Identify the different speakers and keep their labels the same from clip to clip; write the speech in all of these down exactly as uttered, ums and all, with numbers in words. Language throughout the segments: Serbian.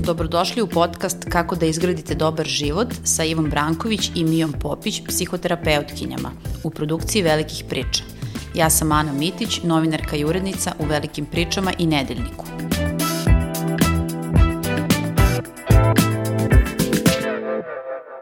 Speaker 1: Dobrodošli u podcast Kako da izgradite dobar život sa Ivom Branković i Mijom Popić, psihoterapeutkinjama, u produkciji Velikih priča. Ja sam Ana Mitić, novinarka i urednica u Velikim pričama i Nedeljniku.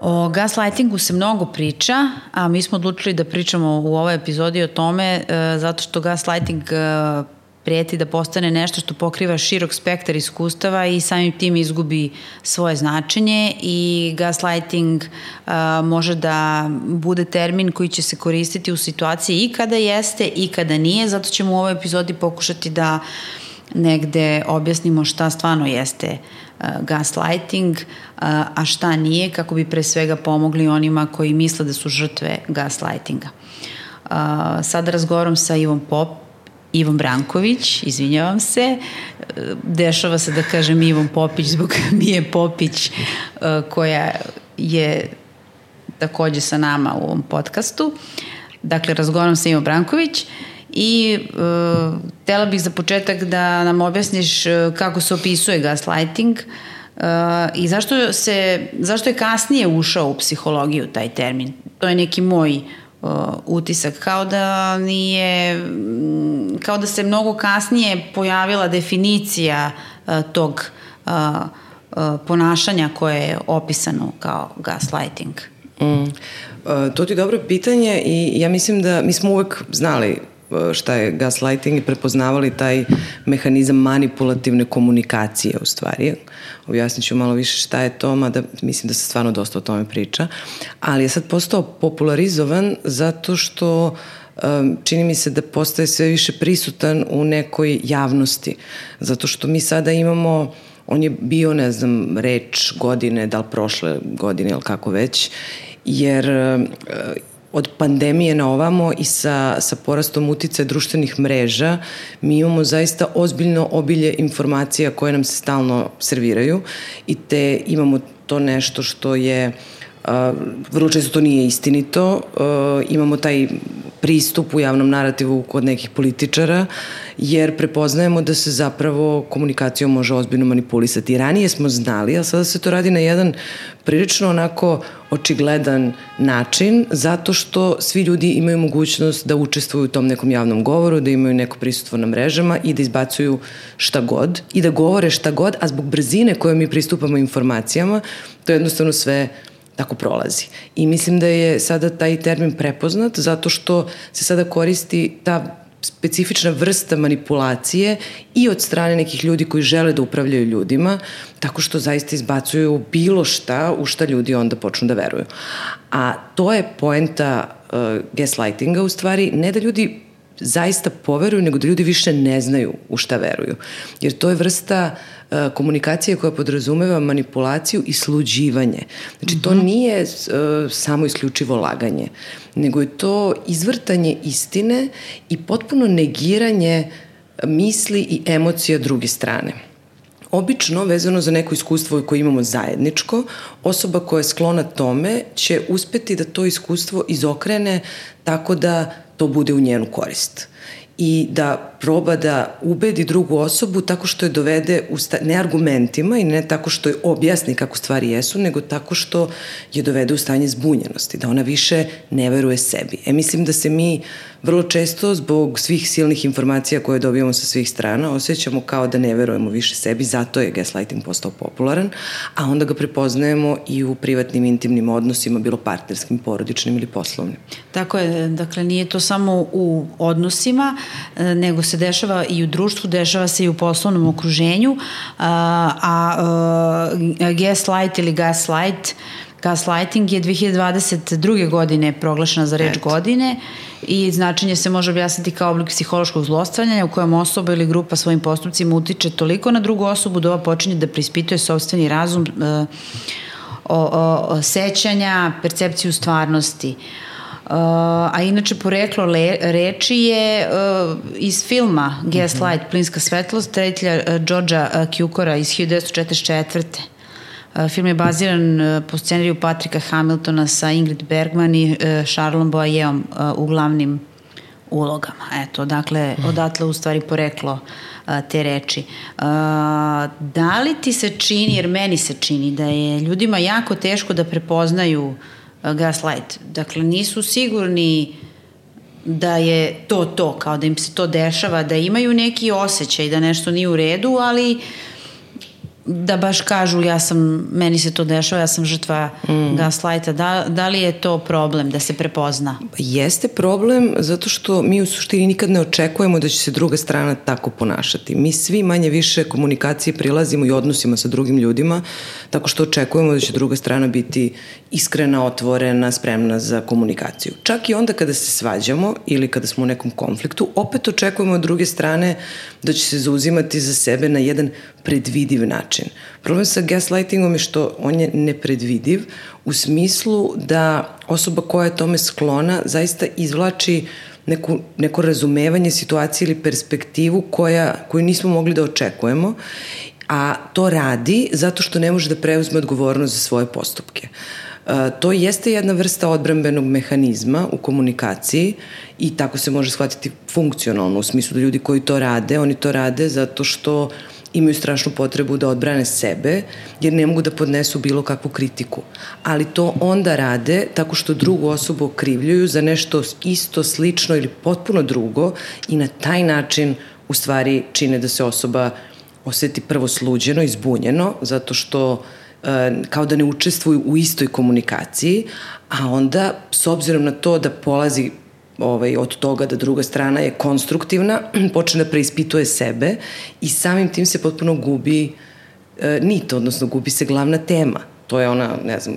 Speaker 1: O gaslightingu se mnogo priča, a mi smo odlučili da pričamo u ovoj epizodi o tome e, zato što gaslighting e, prijeti da postane nešto što pokriva širok spektar iskustava i samim tim izgubi svoje značenje i gaslighting uh, može da bude termin koji će se koristiti u situaciji i kada jeste i kada nije, zato ćemo u ovoj epizodi pokušati da negde objasnimo šta stvarno jeste uh, gaslighting, uh, a šta nije, kako bi pre svega pomogli onima koji misle da su žrtve gaslightinga. Uh, sada razgovaram sa Ivom Pop, Ivom Branković, izvinjavam se, dešava se da kažem Ivom Popić zbog Mije Popić koja je takođe sa nama u ovom podcastu. Dakle, razgovaram sa Ivom Branković i uh, htela bih za početak da nam objasniš kako se opisuje gaslighting uh, i zašto, se, zašto je kasnije ušao u psihologiju taj termin. To je neki moj Uh, utisak, kao da nije, kao da se mnogo kasnije pojavila definicija uh, tog uh, uh, ponašanja koje je opisano kao gaslighting.
Speaker 2: Mm. Uh, to ti je dobro pitanje i ja mislim da mi smo uvek znali šta je gaslighting i prepoznavali taj mehanizam manipulativne komunikacije u stvari. Objasnit ću malo više šta je to, mada mislim da se stvarno dosta o tome priča, ali je sad postao popularizovan zato što um, čini mi se da postaje sve više prisutan u nekoj javnosti, zato što mi sada imamo, on je bio, ne znam, reč godine, da li prošle godine ili kako već, jer uh, od pandemije na ovamo i sa, sa porastom uticaja društvenih mreža mi imamo zaista ozbiljno obilje informacija koje nam se stalno serviraju i te imamo to nešto što je, uh, vrlo često to nije istinito, uh, imamo taj pristup u javnom narativu kod nekih političara, jer prepoznajemo da se zapravo komunikacijom može ozbiljno manipulisati. Ranije smo znali, ali sada se to radi na jedan prilično onako očigledan način, zato što svi ljudi imaju mogućnost da učestvuju u tom nekom javnom govoru, da imaju neko prisustvo na mrežama i da izbacuju šta god i da govore šta god, a zbog brzine koje mi pristupamo informacijama, to jednostavno sve tako prolazi. I mislim da je sada taj termin prepoznat zato što se sada koristi ta specifična vrsta manipulacije i od strane nekih ljudi koji žele da upravljaju ljudima, tako što zaista izbacuju bilo šta u šta ljudi onda počnu da veruju. A to je poenta uh, gaslightinga u stvari, ne da ljudi zaista poveruju, nego da ljudi više ne znaju u šta veruju. Jer to je vrsta uh, komunikacije koja podrazumeva manipulaciju i sluđivanje. Znači, to nije uh, samo isključivo laganje, nego je to izvrtanje istine i potpuno negiranje misli i emocija druge strane. Obično, vezano za neko iskustvo koje imamo zajedničko, osoba koja je sklona tome će uspeti da to iskustvo izokrene tako da to bude u njenu korist i da proba da ubedi drugu osobu tako što je dovede u sta- ne argumentima i ne tako što je objasni kako stvari jesu, nego tako što je dovede u stanje zbunjenosti, da ona više ne veruje sebi. E, mislim da se mi vrlo često zbog svih silnih informacija koje dobijamo sa svih strana osjećamo kao da ne verujemo više sebi, zato je gaslighting postao popularan, a onda ga prepoznajemo i u privatnim, intimnim odnosima, bilo partnerskim, porodičnim ili poslovnim.
Speaker 1: Tako je, dakle nije to samo u odnosima, nego se dešava i u društvu, dešava se i u poslovnom okruženju, a, a gaslight ili gaslight, gaslighting je dve hiljade dvadeset druge godine proglašena za reč godine i značenje se može objasniti kao oblik psihološkog zlostavljanja u kojem osoba ili grupa svojim postupcima utiče toliko na drugu osobu da ova počinje da preispituje sopstveni razum, o, o, o sećanja, percepciju stvarnosti. Uh, a inače poreklo le, reči je uh, iz filma Gaslight, mm-hmm. Plinska svetlost, reditelja uh, Georgea uh, Cukora iz hiljadu devetsto četrdeset četvrte. Film je baziran po scenariju Patrika Hamiltona sa Ingrid Bergman i Charlesom Boyeom u glavnim ulogama. Eto, dakle, odatle u stvari poreklo te reči. Da li ti se čini, jer meni se čini, da je ljudima jako teško da prepoznaju gaslight? Dakle, nisu sigurni da je to to, kao da im se to dešava, da imaju neki osjećaj da nešto nije u redu, ali da baš kažu ja sam, meni se to dešava, ja sam žrtva mm. gaslighta. Da, da li je to problem da se prepozna?
Speaker 2: Jeste problem zato što mi u suštini nikad ne očekujemo da će se druga strana tako ponašati. Mi svi manje više komunikacije prilazimo i odnosima sa drugim ljudima tako što očekujemo da će druga strana biti iskrena, otvorena, spremna za komunikaciju. Čak i onda kada se svađamo ili kada smo u nekom konfliktu, opet očekujemo od druge strane da će se zauzimati za sebe na jedan predvidiv način. Problem sa gaslightingom je što on je nepredvidiv u smislu da osoba koja je tome sklona zaista izvlači neku, neko razumevanje situacije ili perspektivu koja, koju nismo mogli da očekujemo, a to radi zato što ne može da preuzme odgovornost za svoje postupke. To jeste jedna vrsta odbrambenog mehanizma u komunikaciji i tako se može shvatiti funkcionalno, u smislu da ljudi koji to rade, oni to rade zato što imaju strašnu potrebu da odbrane sebe, jer ne mogu da podnesu bilo kakvu kritiku. Ali to onda rade tako što drugu osobu okrivljuju za nešto isto, slično ili potpuno drugo i na taj način u stvari čine da se osoba oseti prvo sluđeno i zbunjeno, zato što kao da ne učestvuju u istoj komunikaciji, a onda s obzirom na to da polazi ovaj, od toga da druga strana je konstruktivna, počne da preispituje sebe i samim tim se potpuno gubi e, nit, odnosno gubi se glavna tema. To je ona, ne znam,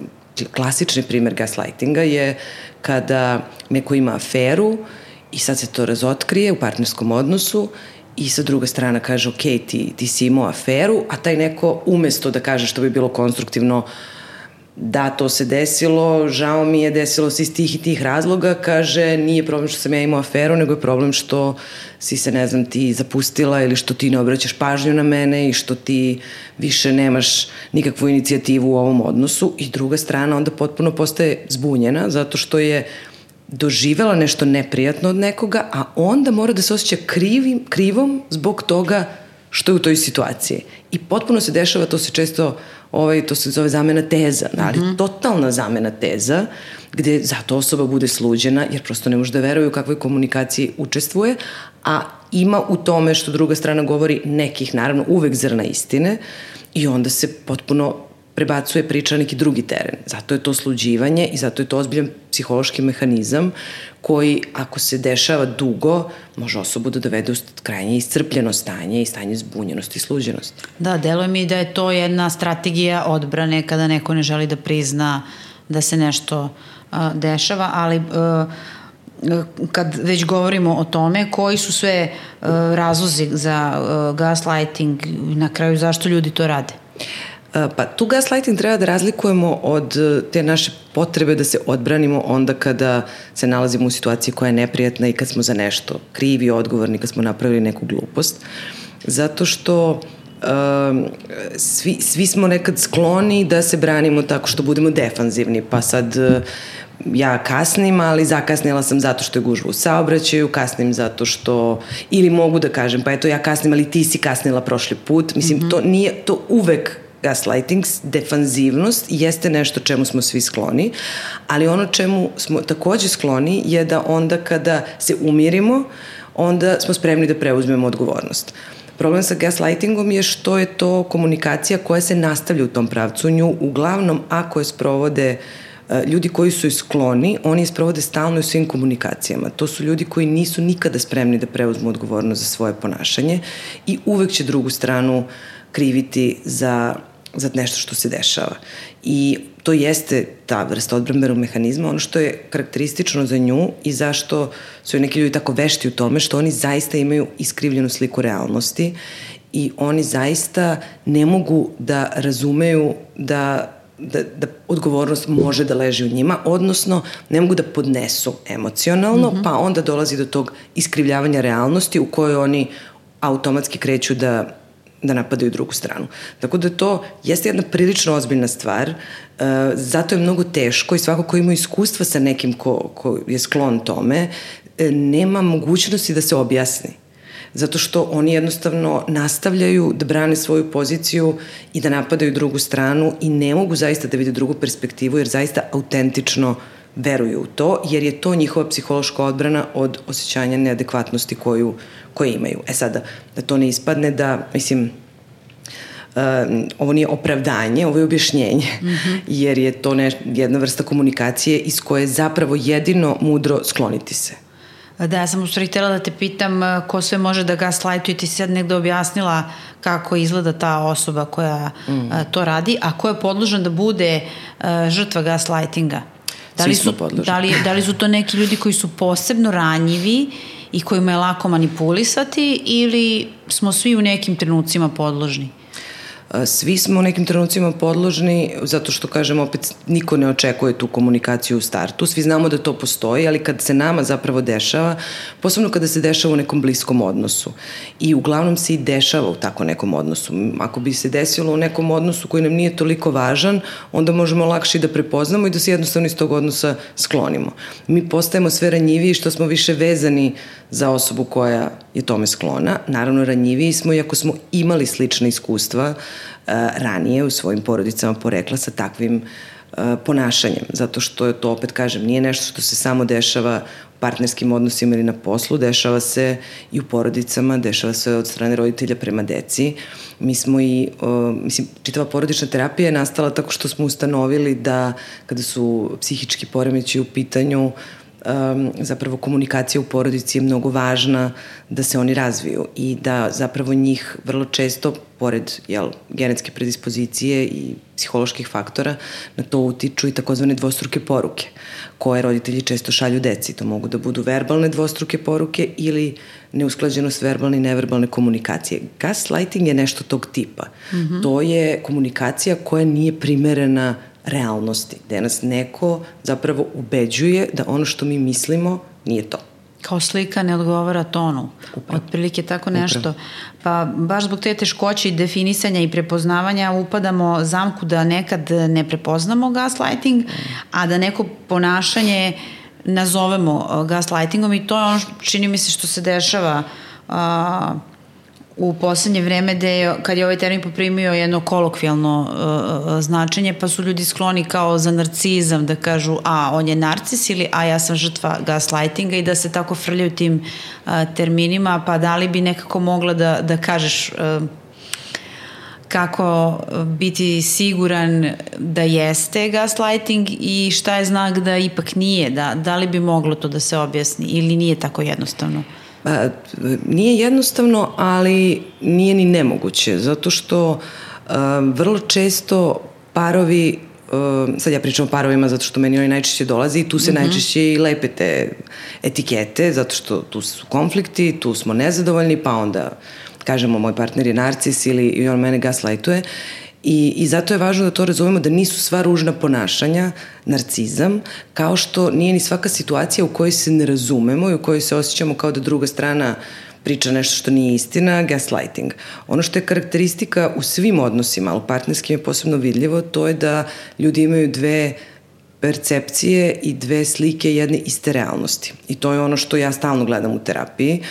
Speaker 2: klasični primer gaslightinga je kada neko ima aferu i sad se to razotkrije u partnerskom odnosu i sa druga strana kaže, ok, ti, ti si imao aferu, a taj neko umesto da kaže što bi bilo konstruktivno, da, to se desilo, žao mi je, desilo se iz tih i tih razloga, kaže, nije problem što sam ja imao aferu, nego je problem što si se, ne znam, ti zapustila ili što ti ne obraćaš pažnju na mene i što ti više nemaš nikakvu inicijativu u ovom odnosu i druga strana onda potpuno postaje zbunjena zato što je doživela nešto neprijatno od nekoga, a onda mora da se osjeća krivim, krivom zbog toga što je u toj situaciji. I potpuno se dešava, to se često, ovaj, to se zove zamena teza, ali mm-hmm. totalna zamena teza, gde zato osoba bude sluđena, jer prosto ne može da veruje u kakvoj komunikaciji učestvuje, a ima u tome što druga strana govori nekih, naravno, uvek zrna istine i onda se potpuno prebacuje priča na neki drugi teren. Zato je to sluđivanje i zato je to ozbiljan psihološki mehanizam koji, ako se dešava dugo, može osobu da dovede u krajnje iscrpljeno stanje i stanje zbunjenosti i sluđenosti.
Speaker 1: Da, deluje mi da je to jedna strategija odbrane kada neko ne želi da prizna da se nešto uh, dešava, ali uh, kad već govorimo o tome, koji su sve uh, razlozi za uh, gaslighting i na kraju zašto ljudi to rade?
Speaker 2: Pa tu gaslighting treba da razlikujemo od te naše potrebe da se odbranimo onda kada se nalazimo u situaciji koja je neprijatna i kad smo za nešto krivi, odgovorni, kad smo napravili neku glupost. Zato što uh, svi, svi smo nekad skloni da se branimo tako što budemo defanzivni, pa sad uh, ja kasnim, ali zakasnila sam zato što je gužva u saobraćaju, kasnim zato što, ili mogu da kažem, pa eto ja kasnim, ali ti si kasnila prošli put. Mislim, mm-hmm. to nije, to uvek gaslighting, defanzivnost jeste nešto čemu smo svi skloni, ali ono čemu smo takođe skloni je da onda kada se umirimo, onda smo spremni da preuzmemo odgovornost. Problem sa gaslightingom je što je to komunikacija koja se nastavlja u tom pravcu. Nju uglavnom, ako je sprovode ljudi koji su skloni, oni je sprovode stalno u svim komunikacijama. To su ljudi koji nisu nikada spremni da preuzmu odgovornost za svoje ponašanje i uvek će drugu stranu kriviti za, za nešto što se dešava. I to jeste ta vrsta odbrambenog mehanizma, ono što je karakteristično za nju i zašto su neki ljudi tako vešti u tome, što oni zaista imaju iskrivljenu sliku realnosti i oni zaista ne mogu da razumeju da Da, da odgovornost može da leži u njima, odnosno ne mogu da podnesu emocionalno, mm-hmm. pa onda dolazi do tog iskrivljavanja realnosti u kojoj oni automatski kreću da da napadaju drugu stranu. Tako da to jeste jedna prilično ozbiljna stvar, uh, zato je mnogo teško i svako ko ima iskustva sa nekim ko, ko je sklon tome, nema mogućnosti da se objasni. Zato što oni jednostavno nastavljaju da brane svoju poziciju i da napadaju drugu stranu i ne mogu zaista da vide drugu perspektivu jer zaista autentično veruju u to, jer je to njihova psihološka odbrana od osjećanja neadekvatnosti koju, koju imaju. E sada, da to ne ispadne da, mislim, Uh, ovo nije opravdanje, ovo je objašnjenje, mm-hmm. jer je to ne, jedna vrsta komunikacije iz koje je zapravo jedino mudro skloniti se.
Speaker 1: Da, ja sam u stvari htjela da te pitam ko sve može da gaslightuje, ti si sad negde objasnila kako izgleda ta osoba koja mm. a, to radi, a ko je podložan da bude a, žrtva gaslightinga? Da li, su, da, li, da li su to neki ljudi koji su posebno ranjivi i kojima je lako manipulisati ili smo svi u nekim trenucima podložni?
Speaker 2: Svi smo u nekim trenucima podložni, zato što, kažem, opet niko ne očekuje tu komunikaciju u startu. Svi znamo da to postoji, ali kad se nama zapravo dešava, posebno kada se dešava u nekom bliskom odnosu. I uglavnom se i dešava u tako nekom odnosu. Ako bi se desilo u nekom odnosu koji nam nije toliko važan, onda možemo lakše da prepoznamo i da se jednostavno iz tog odnosa sklonimo. Mi postajemo sve ranjiviji što smo više vezani za osobu koja je tome sklona. Naravno, ranjiviji smo i ako smo imali slične iskustva uh, ranije u svojim porodicama porekla sa takvim uh, ponašanjem. Zato što je to, opet kažem, nije nešto što se samo dešava u partnerskim odnosima ili na poslu, dešava se i u porodicama, dešava se od strane roditelja prema deci. Mi smo i, uh, mislim, čitava porodična terapija je nastala tako što smo ustanovili da kada su psihički poremećaji u pitanju, Um, zapravo komunikacija u porodici je mnogo važna da se oni razviju i da zapravo njih vrlo često, pored jel, genetske predispozicije i psiholoških faktora, na to utiču i takozvane dvostruke poruke koje roditelji često šalju deci. To mogu da budu verbalne dvostruke poruke ili neusklađenost verbalne i neverbalne komunikacije. Gaslighting je nešto tog tipa. Mm-hmm. To je komunikacija koja nije primerena realnosti, gde nas neko zapravo ubeđuje da ono što mi mislimo nije to.
Speaker 1: Kao slika ne odgovara tonu. Upravo. Otprilike tako nešto. Upravo. Pa baš zbog te teškoće i definisanja i prepoznavanja upadamo zamku da nekad ne prepoznamo gaslighting, a da neko ponašanje nazovemo gaslightingom i to je ono, čini mi se, što se dešava a, u poslednje vreme gde je, kad je ovaj termin poprimio jedno kolokvijalno uh, značenje, pa su ljudi skloni kao za narcizam da kažu a on je narcis ili a ja sam žrtva gaslightinga i da se tako frljaju tim uh, terminima, pa da li bi nekako mogla da, da kažeš uh, kako biti siguran da jeste gaslighting i šta je znak da ipak nije, da, da li bi moglo to da se objasni ili nije tako jednostavno?
Speaker 2: Pa, nije jednostavno, ali nije ni nemoguće, zato što uh, vrlo često parovi, uh, sad ja pričam o parovima zato što meni oni najčešće dolazi i tu se mm-hmm. najčešće i lepe te etikete, zato što tu su konflikti, tu smo nezadovoljni, pa onda kažemo moj partner je narcis ili i on mene gaslightuje. I, I zato je važno da to razumemo da nisu sva ružna ponašanja narcizam, kao što nije ni svaka situacija u kojoj se ne razumemo i u kojoj se osjećamo kao da druga strana priča nešto što nije istina, gaslighting. Ono što je karakteristika u svim odnosima, ali partnerskim je posebno vidljivo, to je da ljudi imaju dve percepcije i dve slike jedne iste realnosti. I to je ono što ja stalno gledam u terapiji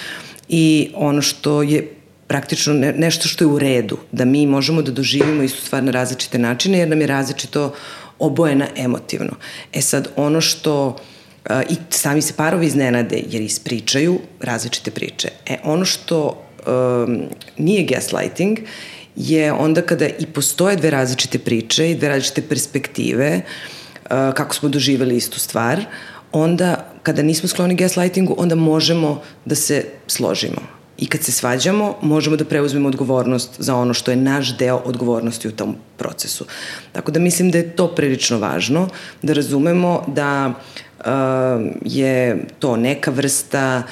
Speaker 2: i ono što je praktično ne, nešto što je u redu, da mi možemo da doživimo istu stvar na različite načine, jer nam je različito obojena emotivno. E sad, ono što, uh, i sami se parovi iznenade, jer ispričaju različite priče. E, ono što um, nije gaslighting je onda kada i postoje dve različite priče i dve različite perspektive, uh, kako smo doživeli istu stvar, onda, kada nismo skloni gaslightingu, onda možemo da se složimo. I kad se svađamo, možemo da preuzmemo odgovornost za ono što je naš deo odgovornosti u tom procesu. Tako da mislim da je to prilično važno, da razumemo da je to neka vrsta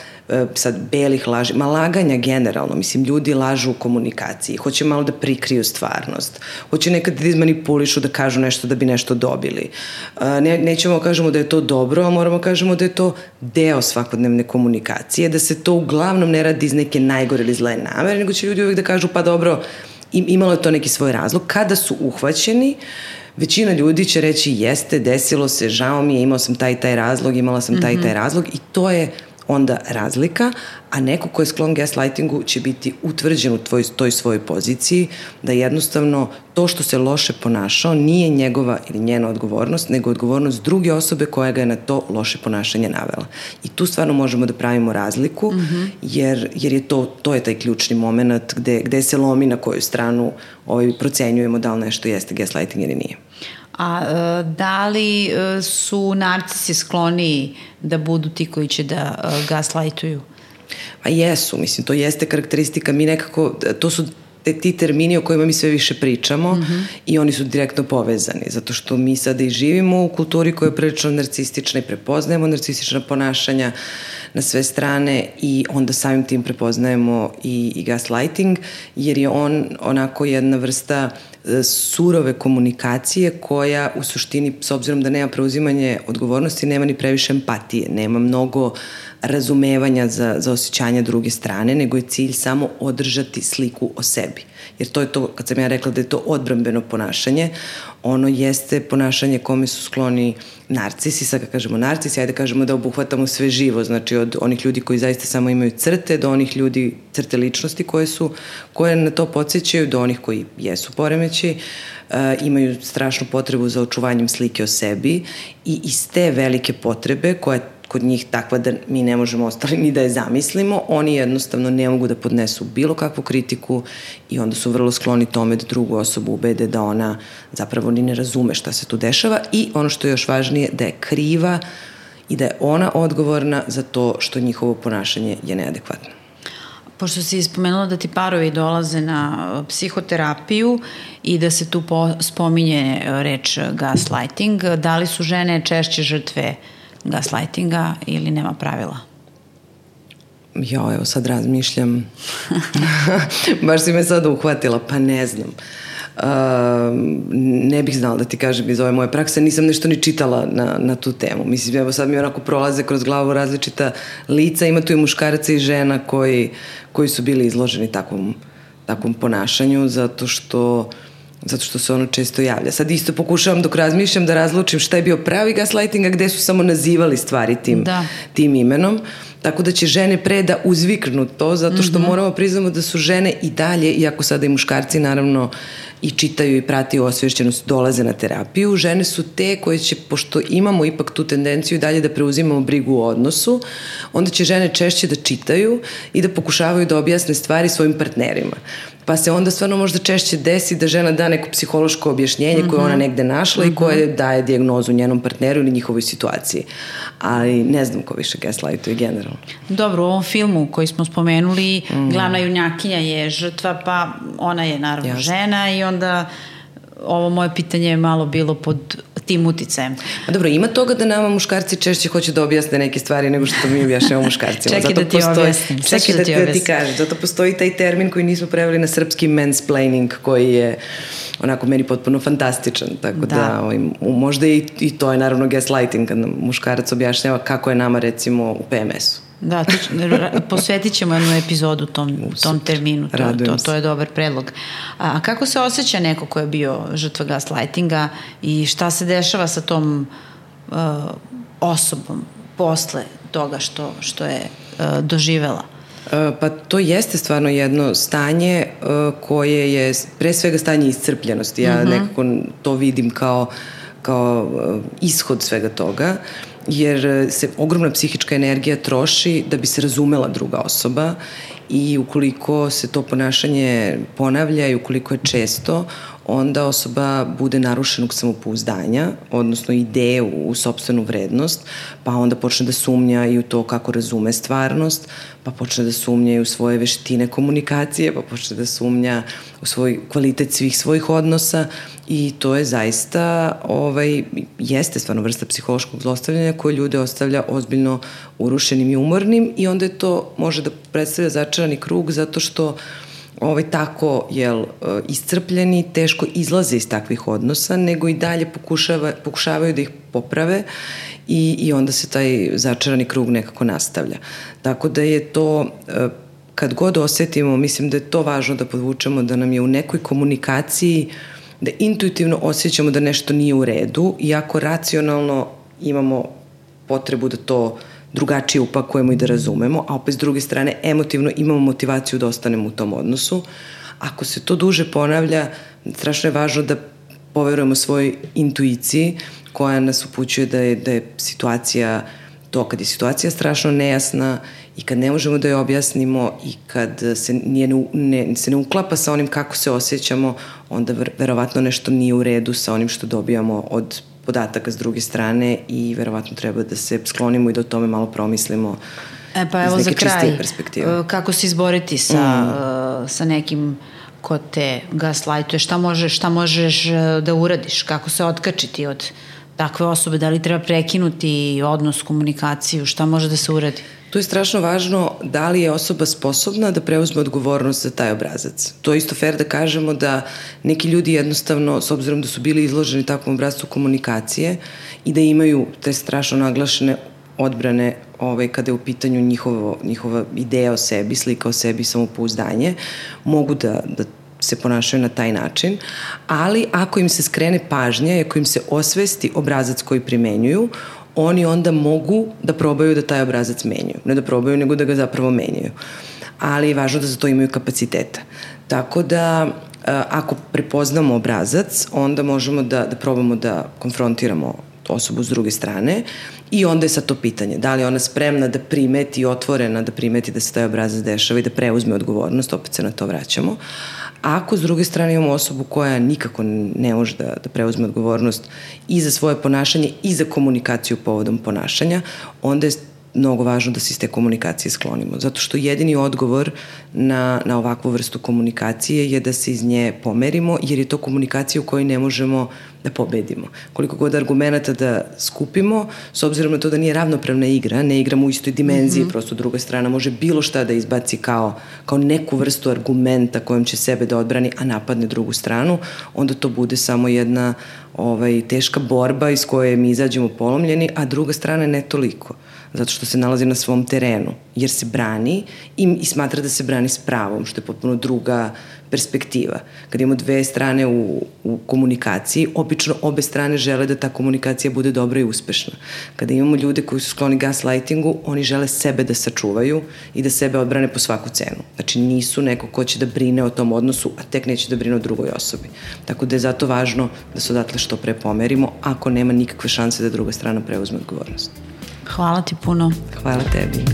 Speaker 2: sad belih laži, ma laganja generalno, mislim, ljudi lažu u komunikaciji, hoće malo da prikriju stvarnost, hoće nekad da izmanipulišu, da kažu nešto da bi nešto dobili. Ne, nećemo kažemo da je to dobro, a moramo kažemo da je to deo svakodnevne komunikacije, da se to uglavnom ne radi iz neke najgore ili zle namere, nego će ljudi uvijek da kažu pa dobro, imalo je to neki svoj razlog. Kada su uhvaćeni, većina ljudi će reći jeste, desilo se, žao mi je, imao sam taj taj razlog, imala sam taj taj razlog i to je onda razlika, a neko ko je sklon gaslightingu će biti utvrđen u tvoj, toj svojoj poziciji, da jednostavno to što se loše ponašao nije njegova ili njena odgovornost, nego odgovornost druge osobe koja ga je na to loše ponašanje navela. I tu stvarno možemo da pravimo razliku, mm-hmm. jer, jer je to, to je taj ključni moment gde, gde se lomi na koju stranu ovaj, procenjujemo da li nešto jeste gaslighting ili nije.
Speaker 1: A da li su narcisi skloniji da budu ti koji će da gaslightuju?
Speaker 2: Pa jesu, mislim, to jeste karakteristika. Mi nekako, to su te, ti termini o kojima mi sve više pričamo mm-hmm. i oni su direktno povezani, zato što mi sada i živimo u kulturi koja je prilično narcistična i prepoznajemo narcistična ponašanja na sve strane i onda samim tim prepoznajemo i, i gaslighting, jer je on onako jedna vrsta surove komunikacije koja u suštini, s obzirom da nema preuzimanje odgovornosti, nema ni previše empatije, nema mnogo razumevanja za, za osjećanja druge strane, nego je cilj samo održati sliku o sebi. Jer to je to, kad sam ja rekla da je to odbrambeno ponašanje, ono jeste ponašanje kome su skloni narcisi, sad kad kažemo narcisi, ajde kažemo da obuhvatamo sve živo, znači od onih ljudi koji zaista samo imaju crte, do onih ljudi, crte ličnosti koje su, koje na to podsjećaju, do onih koji jesu poremeći, uh, imaju strašnu potrebu za očuvanjem slike o sebi i iz te velike potrebe koja kod njih takva da mi ne možemo ostali ni da je zamislimo, oni jednostavno ne mogu da podnesu bilo kakvu kritiku i onda su vrlo skloni tome da drugu osobu ubede da ona zapravo ni ne razume šta se tu dešava i ono što je još važnije, da je kriva i da je ona odgovorna za to što njihovo ponašanje je neadekvatno.
Speaker 1: Pošto si ispomenula da ti parovi dolaze na psihoterapiju i da se tu spominje reč gaslighting, da li su žene češće žrtve gaslightinga ili nema pravila?
Speaker 2: Jo, evo sad razmišljam. Baš si me sad uhvatila, pa ne znam. Uh, ne bih znala da ti kažem iz ove moje prakse, nisam nešto ni čitala na, na tu temu. Mislim, evo sad mi onako prolaze kroz glavu različita lica, ima tu i muškaraca i žena koji, koji su bili izloženi takvom, takvom ponašanju, zato što zato što se ono često javlja. Sad isto pokušavam dok razmišljam da razlučim šta je bio pravi gaslighting, a gde su samo nazivali stvari tim, da. tim imenom. Tako da će žene pre da uzviknu to, zato što mm-hmm. moramo priznamo da su žene i dalje, iako sada i muškarci naravno i čitaju i pratiju osvješćenost, dolaze na terapiju, žene su te koje će, pošto imamo ipak tu tendenciju dalje da preuzimamo brigu u odnosu, onda će žene češće da čitaju i da pokušavaju da objasne stvari svojim partnerima. Pa se onda stvarno možda češće desi da žena da neko psihološko objašnjenje mm-hmm. koje ona negde našla mm-hmm. i koje daje dijagnozu njenom partneru ili njihovoj situaciji. Ali ne znam ko više gaslightuje generalno.
Speaker 1: Dobro, u ovom filmu koji smo spomenuli, mm. glavna junjakinja je žrtva, pa ona je naravno Jasne. žena i onda ovo moje pitanje je malo bilo pod tim uticajem.
Speaker 2: A dobro, ima toga da nama muškarci češće hoće da objasne neke stvari nego što mi objašnjamo muškarcima.
Speaker 1: Čekaj da ti objasnim.
Speaker 2: Čekaj da ti, da ti kažem. Zato postoji taj termin koji nismo preveli na srpski mansplaining, koji je onako meni potpuno fantastičan. Tako da, da ovaj, možda i, i to je naravno gaslighting, kad muškarac objašnjava kako je nama recimo u P M S-u.
Speaker 1: Da, to, posvetit ćemo jednu epizodu tom, tom terminu, to, to, to je dobar predlog. A kako se osjeća neko ko je bio žrtva gaslightinga i šta se dešava sa tom uh, osobom posle toga što, što je uh, doživela?
Speaker 2: Pa to jeste stvarno jedno stanje uh, koje je pre svega stanje iscrpljenosti. Ja mm-hmm. nekako to vidim kao, kao uh, ishod svega toga, jer se ogromna psihička energija troši da bi se razumela druga osoba i ukoliko se to ponašanje ponavlja i ukoliko je često, onda osoba bude narušenog samopouzdanja, odnosno ideje u, u sopstvenu vrednost, pa onda počne da sumnja i u to kako razume stvarnost, pa počne da sumnja i u svoje veštine komunikacije, pa počne da sumnja u svoj kvalitet svih svojih odnosa i to je zaista, ovaj, jeste stvarno vrsta psihološkog zlostavljanja koje ljude ostavlja ozbiljno urušenim i umornim i onda je to može da predstavlja začarani krug zato što ovaj, tako jel, iscrpljeni, teško izlaze iz takvih odnosa, nego i dalje pokušava, pokušavaju da ih poprave i, i onda se taj začarani krug nekako nastavlja. Tako da je to, kad god osetimo, mislim da je to važno da podvučemo, da nam je u nekoj komunikaciji, da intuitivno osjećamo da nešto nije u redu, iako racionalno imamo potrebu da to drugačije upakujemo i da razumemo, a opet s druge strane emotivno imamo motivaciju da ostanemo u tom odnosu. Ako se to duže ponavlja, strašno je važno da poverujemo svojoj intuiciji koja nas upućuje da je, da je situacija, to kad je situacija strašno nejasna i kad ne možemo da je objasnimo i kad se, nije, ne, se ne uklapa sa onim kako se osjećamo, onda verovatno nešto nije u redu sa onim što dobijamo od podataka s druge strane i verovatno treba da se sklonimo i da o tome malo promislimo
Speaker 1: e, pa evo
Speaker 2: iz neke čistije
Speaker 1: perspektive. Kako se izboriti sa, mm. uh, sa nekim ko te gaslightuje, šta možeš, šta možeš da uradiš, kako se otkačiti od takve osobe, da li treba prekinuti odnos, komunikaciju, šta može da se uradi?
Speaker 2: Tu je strašno važno da li je osoba sposobna da preuzme odgovornost za taj obrazac. To je isto fair da kažemo da neki ljudi jednostavno, s obzirom da su bili izloženi takvom obrazcu komunikacije i da imaju te strašno naglašene odbrane ovaj, kada je u pitanju njihovo, njihova ideja o sebi, slika o sebi, samopouzdanje, mogu da, da se ponašaju na taj način, ali ako im se skrene pažnja i ako im se osvesti obrazac koji primenjuju, oni onda mogu da probaju da taj obrazac menjaju. Ne da probaju, nego da ga zapravo menjaju. Ali je važno da za to imaju kapaciteta. Tako da, ako prepoznamo obrazac, onda možemo da, da probamo da konfrontiramo osobu s druge strane i onda je sad to pitanje. Da li je ona spremna da primeti, otvorena da primeti da se taj obrazac dešava i da preuzme odgovornost, opet se na to vraćamo. A ako s druge strane imamo osobu koja nikako ne može da, da preuzme odgovornost i za svoje ponašanje i za komunikaciju povodom ponašanja, onda je mnogo važno da se iz te komunikacije sklonimo. Zato što jedini odgovor na, na ovakvu vrstu komunikacije je da se iz nje pomerimo, jer je to komunikacija u kojoj ne možemo da pobedimo. Koliko god argumenta da skupimo, s obzirom na to da nije ravnopravna igra, ne igramo u istoj dimenziji, mm-hmm. prosto druga strana može bilo šta da izbaci kao, kao neku vrstu argumenta kojom će sebe da odbrani, a napadne drugu stranu, onda to bude samo jedna ovaj, teška borba iz koje mi izađemo polomljeni, a druga strana ne toliko. Zato što se nalazi na svom terenu, jer se brani i, i smatra da se brani s pravom, što je potpuno druga perspektiva. Kad imamo dve strane u, u komunikaciji, obično obe strane žele da ta komunikacija bude dobra i uspešna. Kada imamo ljude koji su skloni gaslightingu, oni žele sebe da sačuvaju i da sebe odbrane po svaku cenu. Znači nisu neko ko će da brine o tom odnosu, a tek neće da brine o drugoj osobi. Tako da je zato važno da se odatle što pre pomerimo, ako nema nikakve šanse da druga strana preuzme odgovornost.
Speaker 1: Hvala ti puno.
Speaker 2: Hvala tebi.